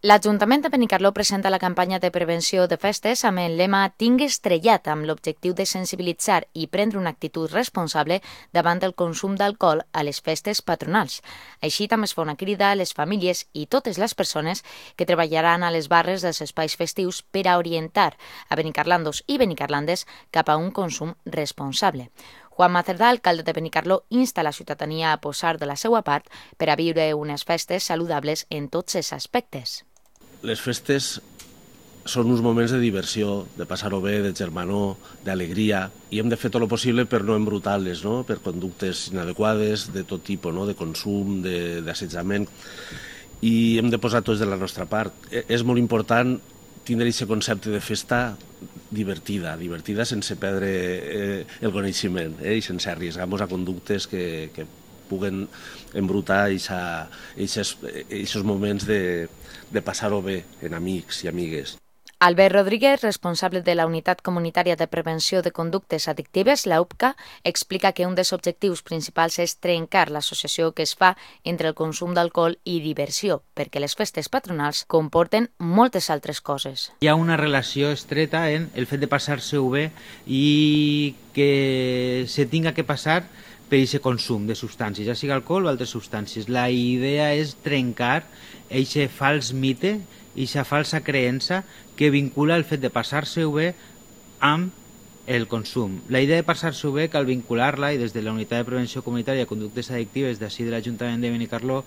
L'Ajuntament de Benicarló presenta la campanya de prevenció de festes amb el lema Tinc estrellat, amb l'objectiu de sensibilitzar i prendre una actitud responsable davant del consum d'alcohol a les festes patronals. Així també es fa una crida a les famílies i totes les persones que treballaran a les barres dels espais festius per a orientar a benicarlandos i benicarlandes cap a un consum responsable. Juan Macerdà, alcalde de Benicarló, insta la ciutadania a posar de la seva part per a viure unes festes saludables en tots els aspectes. Les festes són uns moments de diversió, de passar-ho bé, de germanor, d'alegria, i hem de fer tot el possible per no embrutar-les, no? Per conductes inadequades, de tot tipus, no? De consum, d'assetjament, i hem de posar tots de la nostra part. És molt important tindre aquest concepte de festa divertida sense perdre el coneixement i sense arriesgar-nos a conductes que puguen embrutar aquests moments de passar-ho bé en amics i amigues. Albert Rodríguez, responsable de la Unitat Comunitària de Prevenció de Conductes Addictives, la UPCA, explica que un dels objectius principals és trencar l'associació que es fa entre el consum d'alcohol i diversió, perquè les festes patronals comporten moltes altres coses. Hi ha una relació estreta en el fet de passar-se-ho bé i que se tinga que passar per aquest consum de substàncies, ja sigui alcohol o altres substàncies. La idea és trencar aquest fals mite, aquesta falsa creença que vincula el fet de passar-se-ho bé amb el consum. La idea de passar-se-ho bé cal vincular-la, i des de la Unitat de Prevenció Comunitària de Conductes Addictives d'ací de l'Ajuntament de Benicarló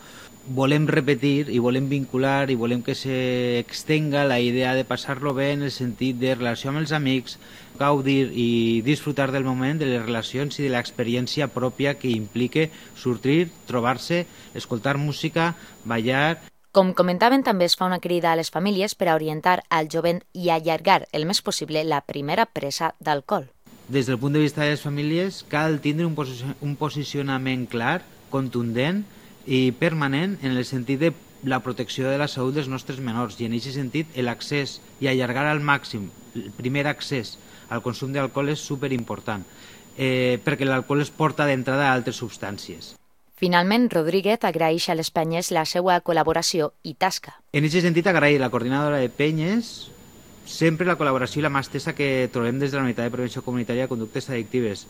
volem repetir i volem vincular i volem que s'extenga la idea de passar-lo bé en el sentit de relació amb els amics, gaudir i disfrutar del moment, de les relacions i de l'experiència pròpia que implica sortir, trobar-se, escoltar música, ballar. Com comentaven, també es fa una crida a les famílies per a orientar al jovent i allargar el més possible la primera presa d'alcohol. Des del punt de vista de les famílies, cal tindre un posicionament clar, contundent i permanent en el sentit de la protecció de la salut dels nostres menors, i en aquest sentit l'accés i allargar al màxim el primer accés al consum d'alcohol és superimportant, perquè l'alcohol es porta d'entrada a altres substàncies. Finalment, Rodríguez agraeix a les penyes la seva col·laboració i tasca. En aquest sentit, agrair a la coordinadora de penyes sempre la col·laboració i la mà estesa que trobem des de la Unitat de Prevenció Comunitària de Conductes Addictives.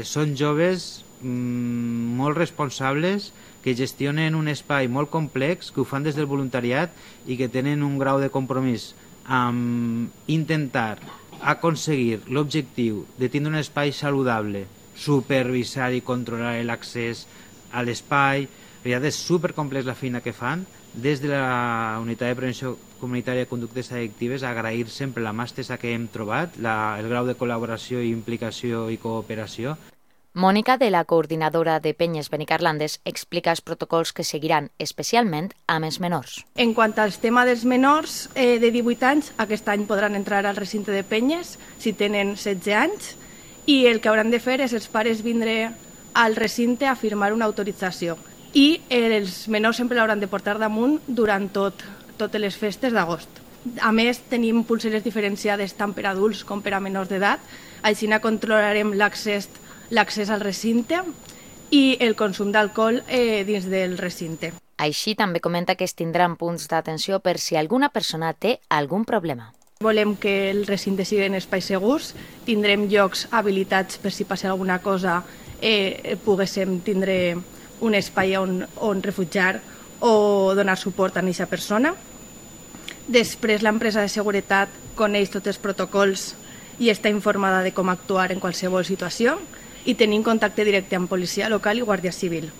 Són joves molt responsables que gestionen un espai molt complex, que ho fan des del voluntariat i que tenen un grau de compromís amb intentar aconseguir l'objectiu de tindre un espai saludable, supervisar i controlar l'accés a l'espai. És supercomplex la feina que fan. Des de la Unitat de Prevenció Comunitària de Conductes Addictives, agrair sempre la mà estesa que hem trobat, el grau de col·laboració, implicació i cooperació. Mònica, de la coordinadora de penyes benicarlandes, explica els protocols que seguiran, especialment amb els menors. En quant al tema dels menors de 18 anys, aquest any podran entrar al recinte de penyes si tenen 16 anys, i el que hauran de fer és els pares vindre al recinte a firmar una autorització. I els menors sempre l'hauran de portar damunt durant totes les festes d'agost. A més, tenim pulseres diferenciades tant per adults com per a menors d'edat, així controlarem l'accés al recinte i el consum d'alcohol dins del recinte. Així també comenta que es tindran punts d'atenció per si alguna persona té algun problema. Volem que el recinte sigui en espais segurs, tindrem llocs habilitats per si passa alguna cosa, poguéssim tindre un espai on refugiar o donar suport a aquesta persona. Després, l'empresa de seguretat coneix tots els protocols i està informada de com actuar en qualsevol situació, i tenim contacte directe amb policia local i guàrdia civil.